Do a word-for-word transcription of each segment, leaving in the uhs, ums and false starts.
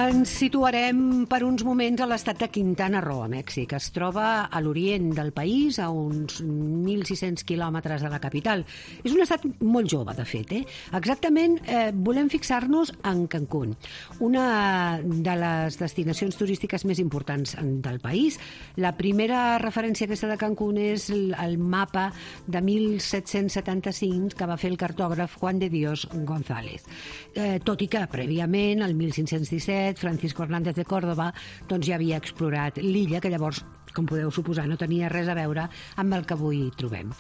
Ens situarem per uns moments a l'estat de Quintana Roo, a Mèxic. Es troba a l'orient del país, a uns mil sis-cents quilòmetres de la capital. És un estat molt jove, de fet. Eh? Exactament, eh, volem fixar-nos en Cancún, una de les destinacions turístiques més importants del país. La primera referència aquesta de Cancún és el, el mapa de mil set-cents setanta-cinc que va fer el cartògraf Juan de Dios González. Eh, tot i que, prèviament, el mil cinc-cents disset, Francisco Hernández de Córdoba doncs ja havia explorat l'illa, que llavors, com podeu suposar, no tenia res a veure amb el que avui trobem.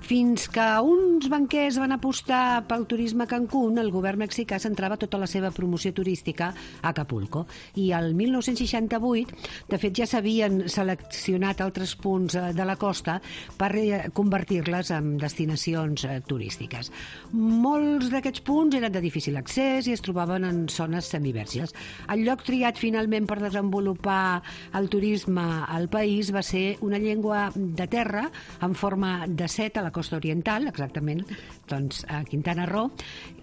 Fins que uns banquers van apostar pel turisme a Cancún, el govern mexicà centrava tota la seva promoció turística a Acapulco. I el mil nou-cents seixanta-vuit, de fet, ja s'havien seleccionat altres punts de la costa per convertir-les en destinacions turístiques. Molts d'aquests punts eren de difícil accés i es trobaven en zones semiverges. El lloc triat finalment per desenvolupar el turisme al país va ser una llengua de terra en forma de set a la costa oriental, exactament doncs, a Quintana Roo.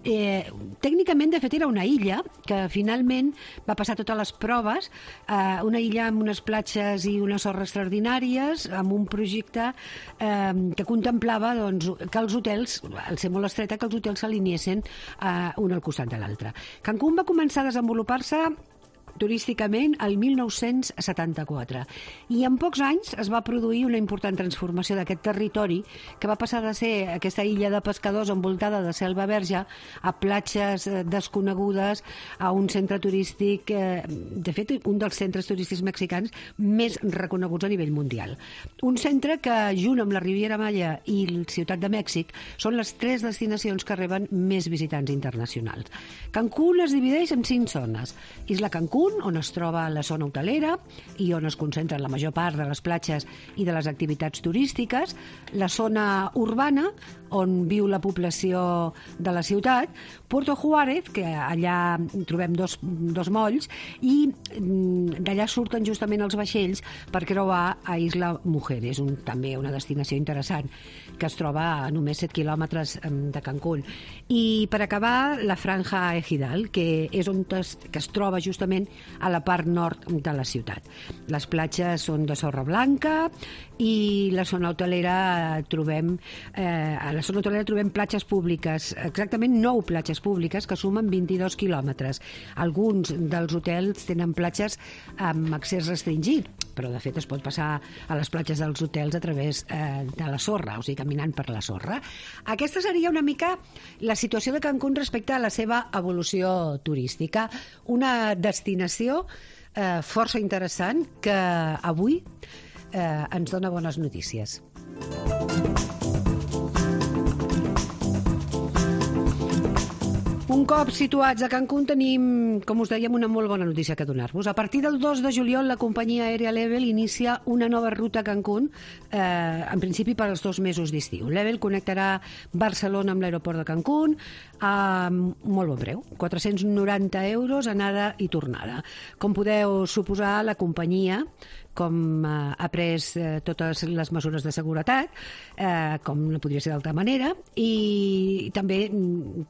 Eh, tècnicament, de fet, era una illa que finalment va passar totes les proves, eh, una illa amb unes platges i una sorra extraordinàries, amb un projecte eh, que contemplava doncs, que els hotels, al ser molt estreta, que els hotels s'alineessin eh, un al costat de l'altre. Cancún va començar a desenvolupar-se turísticament el mil nou-cents setanta-quatre i en pocs anys es va produir una important transformació d'aquest territori, que va passar de ser aquesta illa de pescadors envoltada de selva verge a platges desconegudes, a un centre turístic, eh, de fet un dels centres turístics mexicans més reconeguts a nivell mundial. Un centre que, junt amb la Riviera Maya i la Ciutat de Mèxic, són les tres destinacions que reben més visitants internacionals. Cancún es divideix en cinc zones. Isla Cancún, on es troba la zona hotelera i on es concentren la major part de les platges i de les activitats turístiques, la zona urbana, on viu la població de la ciutat, Puerto Juárez, que allà trobem dos, dos molls, i d'allà surten justament els vaixells per creuar a Isla Mujeres, un, també una destinació interessant, que es troba a només set quilòmetres de Cancún. I per acabar, la Franja Ejidal, que és on es, que es troba justament a la part nord de la ciutat. Les platges són de sorra blanca i la zona hotelera trobem eh, a la zona hotelera trobem platges públiques, exactament nou platges públiques que sumen vint-i-dos quilòmetres. Alguns dels hotels tenen platges amb accés restringit, però de fet es pot passar a les platges dels hotels a través eh, de la sorra, o sigui, caminant per la sorra. Aquesta seria una mica la situació de Cancún respecte a la seva evolució turística. Una destinació eh, força interessant que avui eh, ens dona bones notícies. Un cop situats a Cancún tenim, com us dèiem, una molt bona notícia que donar-vos. A partir del dos de juliol la companyia aèria Level inicia una nova ruta a Cancún, eh, en principi per als dos mesos d'estiu. Level connectarà Barcelona amb l'aeroport de Cancún a molt bon preu, quatre-cents noranta euros anada i tornada. Com podeu suposar, la companyia, com eh, ha pres eh, totes les mesures de seguretat, eh, com no podria ser d'altra manera, i també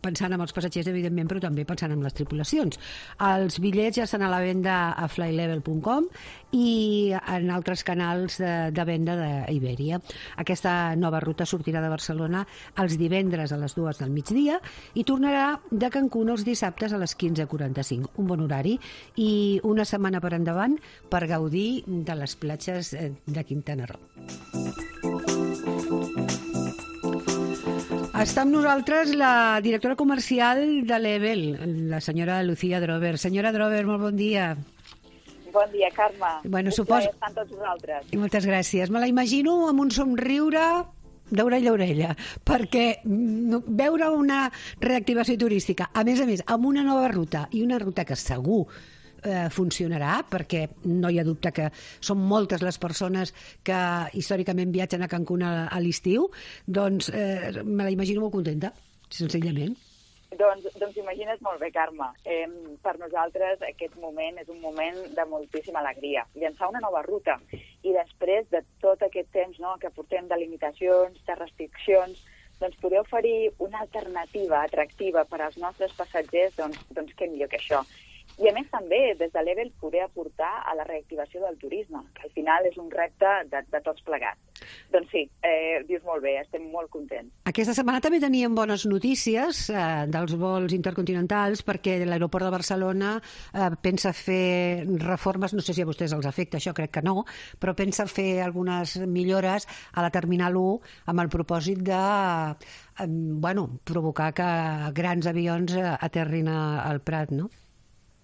pensant en els passatgers, evidentment, però també pensant en les tripulacions. Els bitllets ja estan a la venda a flylevel punt com i en altres canals de, de venda d'Iberia. Aquesta nova ruta sortirà de Barcelona els divendres a les dues del migdia i tornarà de Cancún els dissabtes a les quinze quaranta-cinc. Un bon horari i una setmana per endavant per gaudir de les platges de Quintana Roo. Està amb nosaltres la directora comercial de Level, la senyora Lucía Drover. Senyora Drover, molt bon dia. Bon dia, Carme. Bueno, un suposo... plaer estar amb tots vosaltres. Moltes gràcies. Me la imagino amb un somriure d'orella a orella, perquè veure una reactivació turística, a més a més, amb una nova ruta, i una ruta que segur eh, funcionarà, perquè no hi ha dubte que són moltes les persones que històricament viatgen a Cancún a, a l'estiu, doncs eh, me la imagino molt contenta, senzillament. Doncs, doncs imagines molt bé, Carme. Eh, per nosaltres aquest moment és un moment de moltíssima alegria. Llançar una nova ruta i després de tot aquest temps, no, que portem de limitacions, de restriccions, doncs poder oferir una alternativa atractiva per als nostres passatgers, doncs, doncs què millor que això. I a més també, des de Level, poder aportar a la reactivació del turisme, que al final és un repte de, de tots plegats. Doncs sí, eh, dius molt bé, estem molt contents. Aquesta setmana també teníem bones notícies eh, dels vols intercontinentals, perquè l'aeroport de Barcelona eh, pensa fer reformes, no sé si a vostès els afecta, això crec que no, però pensa fer algunes millores a la Terminal u amb el propòsit de eh, bueno, provocar que grans avions eh, aterrin a, al Prat, no?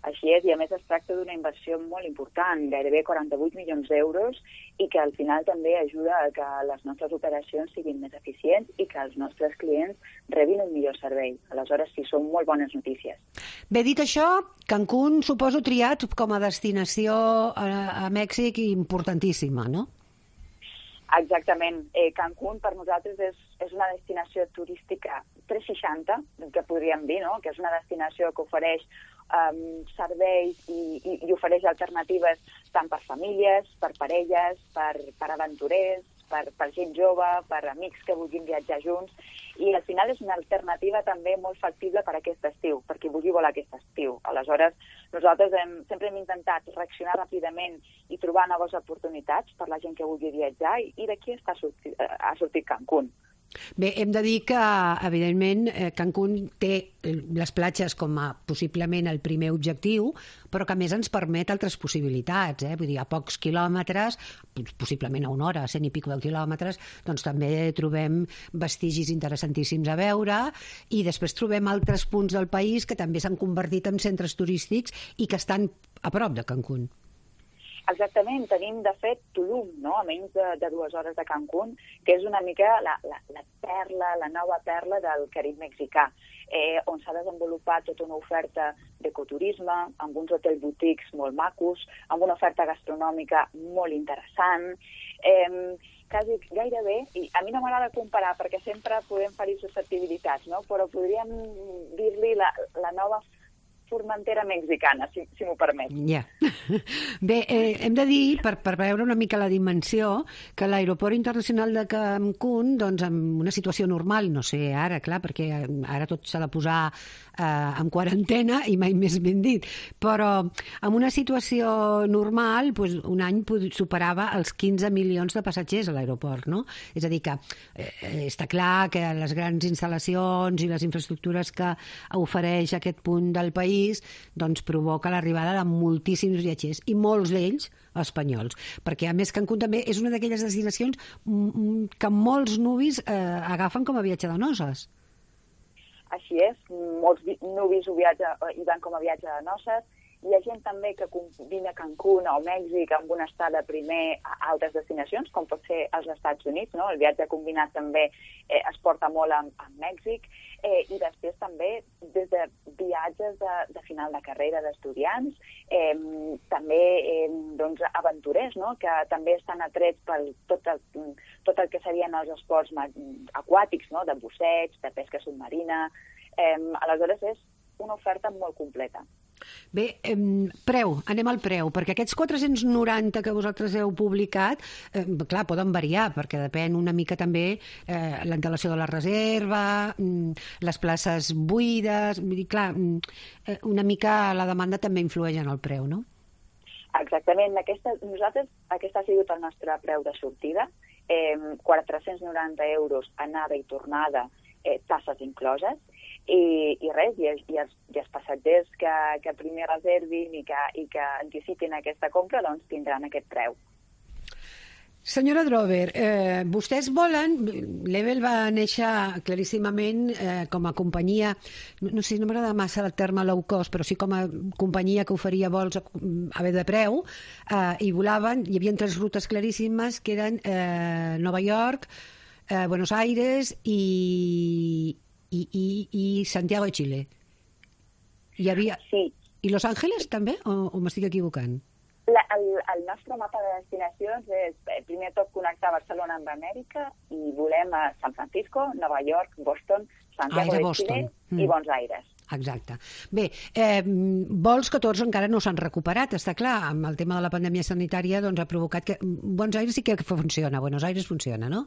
Així és, i a més es tracta d'una inversió molt important, gairebé quaranta-vuit milions d'euros, i que al final també ajuda a que les nostres operacions siguin més eficients i que els nostres clients rebin un millor servei. Aleshores, sí, són molt bones notícies. Bé, dit això, Cancún suposo triat com a destinació a, a Mèxic importantíssima, no? Exactament. Eh, Cancún per nosaltres és, és una destinació turística tres seixanta, que podríem dir, no? Que és una destinació que ofereix um, serveis i, i, i ofereix alternatives tant per famílies, per parelles, per, per aventurers, per, per gent jove, per amics que vulguin viatjar junts, i al final és una alternativa també molt factible per a aquest estiu, per qui vulgui volar aquest estiu. Aleshores, nosaltres hem, sempre hem intentat reaccionar ràpidament i trobar noves oportunitats per la gent que vulgui viatjar, i, i d'aquí està sortit, ha sortit Cancún. Bé, hem de dir que, evidentment, Cancún té les platges com a possiblement el primer objectiu, però que a més ens permet altres possibilitats, eh? Vull dir, a pocs quilòmetres, possiblement a una hora, a cent i pico de quilòmetres, doncs també trobem vestigis interessantíssims a veure, i després trobem altres punts del país que també s'han convertit en centres turístics i que estan a prop de Cancún. Exactament, tenim de fet Tulum, no? A menys de, de dues hores de Cancún, que és una mica la, la, la perla, la nova perla del Carib mexicà, eh, on s'ha desenvolupat tota una oferta d'ecoturisme, amb uns hotels boutiques molt macos, amb una oferta gastronòmica molt interessant, eh, quasi gairebé, i a mi no m'agrada comparar perquè sempre podem ferir susceptibilitats, no? Però podríem dir-li la, la nova Formentera mexicana, si, si m'ho permet. Ja. Bé, eh, hem de dir, per, per veure una mica la dimensió, que l'aeroport internacional de Cancún, doncs, en una situació normal, no sé ara, clar, perquè ara tot s'ha de posar eh, en quarantena i mai més ben dit, però en una situació normal, doncs, un any superava els quinze milions de passatgers a l'aeroport, no? És a dir, que eh, està clar que les grans instal·lacions i les infraestructures que ofereix aquest punt del país doncs provoca l'arribada de moltíssims viatgers, i molts d'ells espanyols, perquè a més Cancún també és una d'aquelles destinacions que molts nuvis eh, agafen com a viatge de noces. Així és, molts nuvis ho viatge, hi van com a viatge de noces. Hi ha gent també que combina Cancún o Mèxic amb una estada primer a altres destinacions, com pot ser als Estats Units, no? El viatge combinat també eh, es porta molt amb, amb Mèxic, eh, i després també des de viatges de, de final de carrera d'estudiants, eh, també eh, doncs, aventurers, no? Que també estan atrets per tot el, tot el que serien els esports aquàtics, no? De busseig, de pesca submarina. Eh, aleshores és una oferta molt completa. Bé, eh, preu, anem al preu, perquè aquests quatre-cents noranta que vosaltres heu publicat, eh, clar, poden variar, perquè depèn una mica també eh, l'antelació de la reserva, les places buides, vull dir, clar, una mica la demanda també influeix en el preu, no? Exactament, aquesta, nosaltres, aquest ha sigut el nostre preu de sortida, eh, quatre-cents noranta euros anada i tornada, eh, tasses incloses, I, i res, i, i, els, i els passatgers que, que primer reservin i que, i que anticipin aquesta compra, doncs tindran aquest preu. Senyora Drover, eh, vostès volen... Level va néixer claríssimament eh, com a companyia, no sé, no m'agrada massa el terme low cost, però sí com a companyia que oferia vols a, a bé de preu, eh, i volaven, hi havia tres rutes claríssimes, que eren eh, Nova York, eh, Buenos Aires i... I, i, i Santiago de Chile. Hi havia... Sí. I Los Ángeles també? O, o m'estic equivocant? La, el, el nostre mapa de destinacions és, primer tot, connectar Barcelona amb Amèrica, i volem a San Francisco, Nova York, Boston, Santiago ah, de Chile mm. i Buenos Aires. Exacte. Bé, eh, vols que tots encara no s'han recuperat, està clar, amb el tema de la pandèmia sanitària doncs ha provocat que... Buenos Aires sí que funciona, Buenos Aires funciona, no?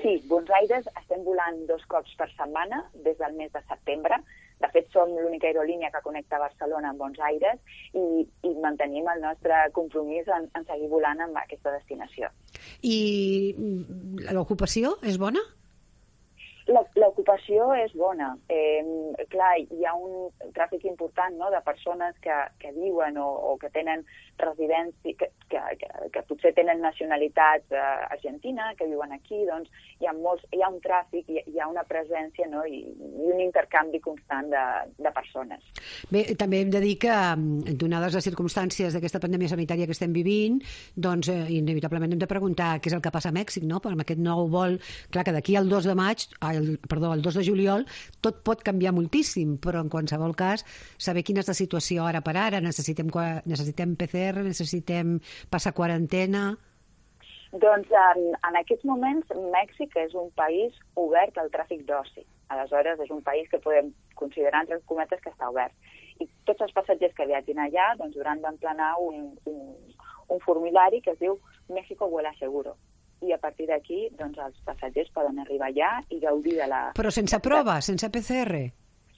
Sí, Buenos Aires estem volant dos cops per setmana des del mes de setembre. De fet, som l'única aerolínia que connecta Barcelona amb Buenos Aires i, i mantenim el nostre compromís en, en seguir volant amb aquesta destinació. I l'ocupació és bona? L'ocupació és bona. Eh, clar, hi ha un tràfic important, no?, de persones que, que viuen o, o que tenen residència, que, que, que, que potser tenen nacionalitat eh, argentina, que viuen aquí, doncs hi ha, molts, hi ha un tràfic, hi, hi ha una presència, no?, i, i un intercanvi constant de, de persones. Bé, també hem de dir que, donades les circumstàncies d'aquesta pandèmia sanitària que estem vivint, doncs eh, inevitablement hem de preguntar què és el que passa a Mèxic, no?, per amb aquest nou vol. Clar que d'aquí al dos de maig, el, perdó, el dos de juliol, tot pot canviar moltíssim, però en qualsevol cas, saber quina és la situació ara per ara, necessitem, necessitem P C R, necessitem passar quarantena... Doncs en, en aquests moments Mèxic és un país obert al tràfic d'oci. Aleshores és un país que podem considerar, entre cometes, que està obert. I tots els passatgers que viatgin allà doncs, hauran d'emplenar un, un, un formulari que es diu México vuela seguro. I a partir d'aquí doncs, els passatgers poden arribar allà i gaudir de la... Però sense prova, sense P C R?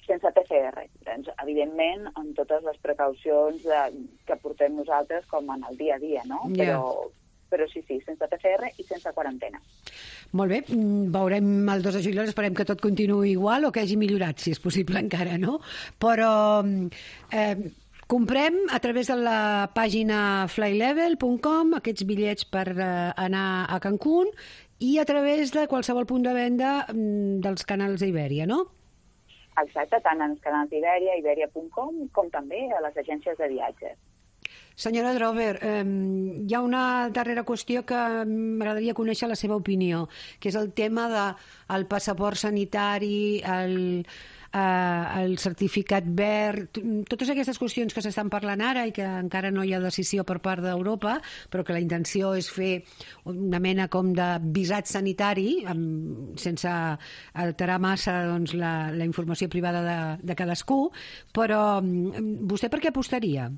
Sense P C R. Doncs, evidentment, amb totes les precaucions de, que portem nosaltres com en el dia a dia, no? Yeah. Però, però sí, sí, sense P C R i sense quarantena. Molt bé, veurem el dos de juliol, esperem que tot continuï igual o que hagi millorat, si és possible encara, no? Però... Eh, comprem a través de la pàgina flylevel punt com aquests bitllets per uh, anar a Cancún i a través de qualsevol punt de venda um, dels canals d'Ibèria, no? Exacte, tant en els canals d'Ibèria, ibèria punt com, com també a les agències de viatges. Senyora Drover, eh, hi ha una darrera qüestió que m'agradaria conèixer la seva opinió, que és el tema del passaport sanitari, el... Uh, el certificat verd, totes aquestes qüestions que s'estan parlant ara i que encara no hi ha decisió per part d'Europa, però que la intenció és fer una mena com de visat sanitari, amb, sense alterar massa doncs, la, la informació privada de, de cadascú, però vostè per què apostaria?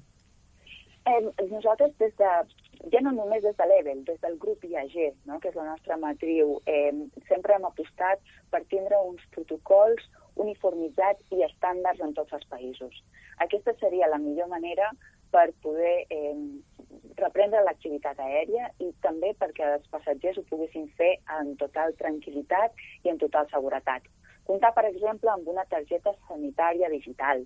Eh, nosaltres des de, ja no només des de l'E V E L, des del grup I A G, no?, que és la nostra matriu, eh, sempre hem apostat per tindre uns protocols uniformitzats i estàndards en tots els països. Aquesta seria la millor manera per poder eh, reprendre l'activitat aèria i també perquè els passatgers ho poguessin fer en total tranquil·litat i en total seguretat. Comptar, per exemple, amb una targeta sanitària digital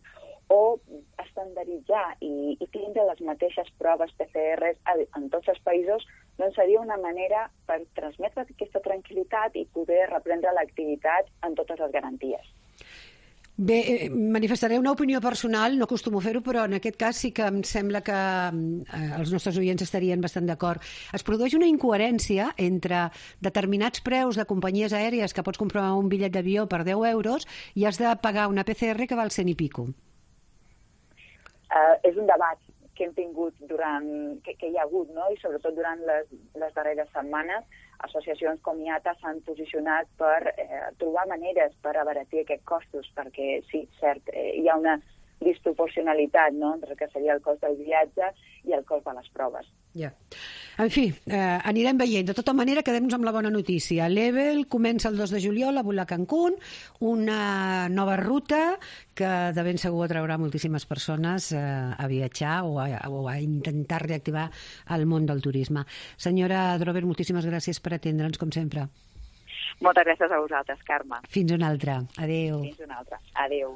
o estandarditzar i, i tindre les mateixes proves P C R en tots els països, doncs seria una manera per transmetre aquesta tranquil·litat i poder reprendre l'activitat amb totes les garanties. Bé, manifestaré una opinió personal, no acostumo a fer-ho, però en aquest cas sí que em sembla que eh, els nostres oients estarien bastant d'acord. Es produeix una incoherència entre determinats preus de companyies aèries que pots comprar un bitllet d'avió per deu euros i has de pagar una P C R que val cent i pico. Uh, és un debat que hem tingut durant, que, que hi ha hagut, no?, i sobretot durant les, les darreres setmanes, associacions com I A T A s'han posicionat per eh, trobar maneres per abaratir aquests costos, perquè sí, cert, eh, hi ha una disproporcionalitat, no?, entre el que seria el cost del viatge i el cost de les proves. Ja. En fi, eh, anirem veient. De tota manera, quedem-nos amb la bona notícia. L'E V E L comença el dos de juliol a volar a Cancún, una nova ruta que de ben segur atraurà moltíssimes persones eh, a viatjar o a, o a intentar reactivar el món del turisme. Senyora Drover, moltíssimes gràcies per atendre'ns, com sempre. Moltes gràcies a vosaltres, Carme. Fins una altra. Adéu. Fins una altra. Adéu.